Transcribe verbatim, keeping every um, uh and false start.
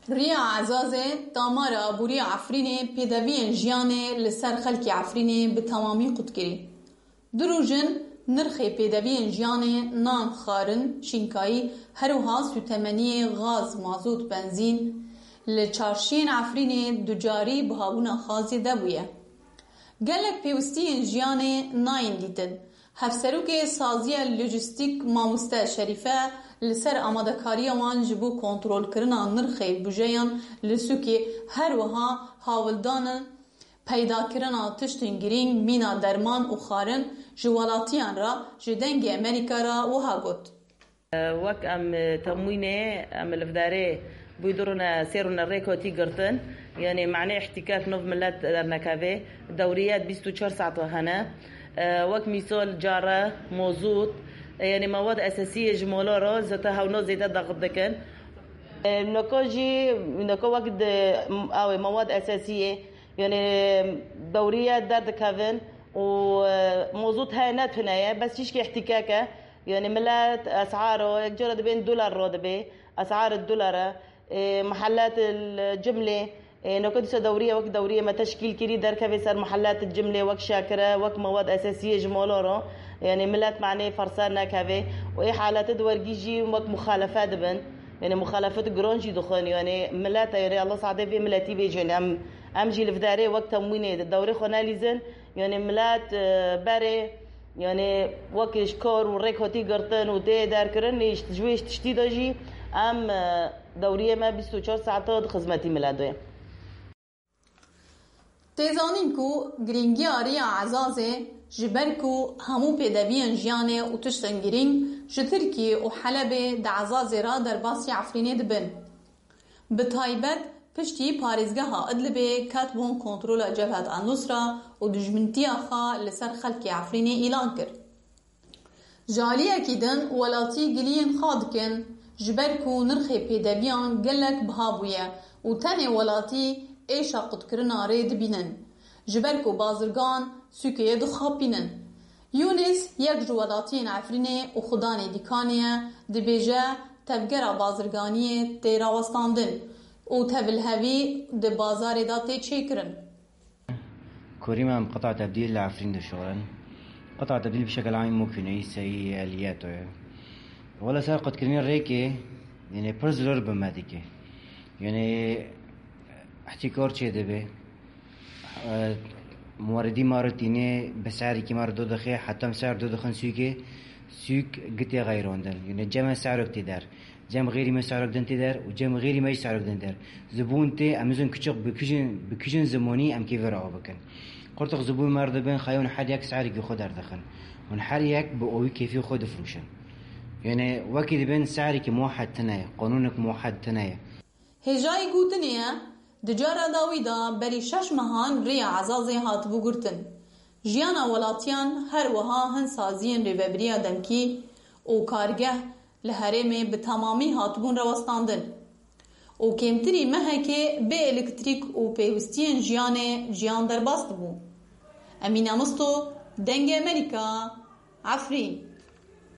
Riya Ezazê damara aborî ya Efrînê pêdeviyên jiyanê li ser xelkê Efrînê bi temamî qut kirî. Du roj in nirxê pêdeviyên jiyanê, nan, xwarin, şînkayî, her wiha sûtemeniyê gaz, mazot, benzîn li çarşiyên Efrînê ducarî bihabûna xazê de bûye. Gelek pêwistiyên jiyanê nayên dîtin. Hevserokê Saziya Lojîstîk Mamoste Şerîfe li ser amadekariya wan ji bo kontrolkirina nirxê bujeyan li sûkê, her wiha hawldanin peydakirina tiştên girîng mîna derman û xwarin ji welatiyan re ji Dengê Amerîka re wiha got. Wek em temwînê, em li vdarê bûy du rûne sê rûne rêkotî girtin. Yanî manê îhtîkak nov milet dernekevê. Dewriyet bîst û çar saet hene. Wek mîsol care, mozût, yanî mewad esasiyê ji mola re zete hewno zêde daxit dikin. Noko jî, noko wek di, awê mewad esasiyê, yanî dewriyet derdikevin û, e, mozût heye ne tune ye, bes tişkê îhtîkak e. Yanî milet esaro, yek cara dibên dolar ro dibe, esar dolar e, e, mehellat el cimlê, e, noke dîsa dewriye wek dewriyê me teşkîl kirî, derkevê ser mehellat el cimlê wek şakire, wek mewad esasiyê ji molo ro. Yanî milet manê fersa nekeve û ê halete di wergî jî wek muxalefe dibin. Yanî muxalefet giron jî dixwin. Yanî milet, yanî Allah sade vê miletî bêjin. Em, em jî li vdarê wek temwînê dewrê xwe nelîzin. Yanî milet, e, berê, yanî wek ji kar û rêk hatî girtin û tê derkirin, lê ji, ji wê tiştî de jî em, e, dewriyê me bîst û çar saeta di xizmetî milet de ye. Tê zanîn ku girîngiya Riya Ezazê, ji ber ku hemû pêdeviyên jiyanê û tiştên girîng ji Tirkiyê û Helebê di Ezazê re derbasî Efrînê dibin. Bi taybet piştî parêzgeha Idlibê ketbûn kontrola Cebhet El-Nusra û dijmintiya xwe li ser xelkê Efrînê îlan kir. Ji aliyekî din welatî giliyên xwe dikin, ji ber ku nirxê pêdeviyan gelek biha bûye û tenê welatî êşa qutkirina rê dibînin, ji ber ku bazirgan sûkê dixapînin. Yûnis yek ji welatiyên Efrînê û xudanê dîkanê ye, dibêje tevgera bazirganiyê tê rawestandin û tevlhevî di bazarê de tê çêkirin. Korî me em qita tebdîl li Efrîn dişuxulin. Qita tebdîl bi şekil amî mokîneyî seyî eliyeto ye. Wela ser qutkirinê rêkê, yanî pir zilor bi me dike. Yanî îhtîkar çê dibe. E, muweridî me re tîne bi serekî me re do dixe, heta em ser do dixin sûkê, sûk gitê xeyrandin. Yanî cem me serok tê der. Cem xêrî me serok din tê der û cem xêrî me jî serok din der. Zibûn tê, em nizin kiçik bi kijin, bi kijin zimonî em kêfê re av bikin. Qurtix zibûn me re dibin, xeyon her yek serekî xwe derdixin. Hûn her yek bi owî kêfê xwe difroşin. Yanî wekî dibin serekî muhed tine ye, qanûnek muhed tine ye. Hêjayî gotinê ye, di cara dawî de berî şeş mehan rêya Ezazê hatibû girtin. Jiyana welatiyan her wiha hin saziyên rêvebiriya demkî û kargeh li herêmê bi temamî hatibûn rawestandin û kêmtirî mehekê bê elektrîk û pêwistiyên jiyanê jiyan derbas dibû. Emîne Misto, Dengê Amerîka, Efrîn.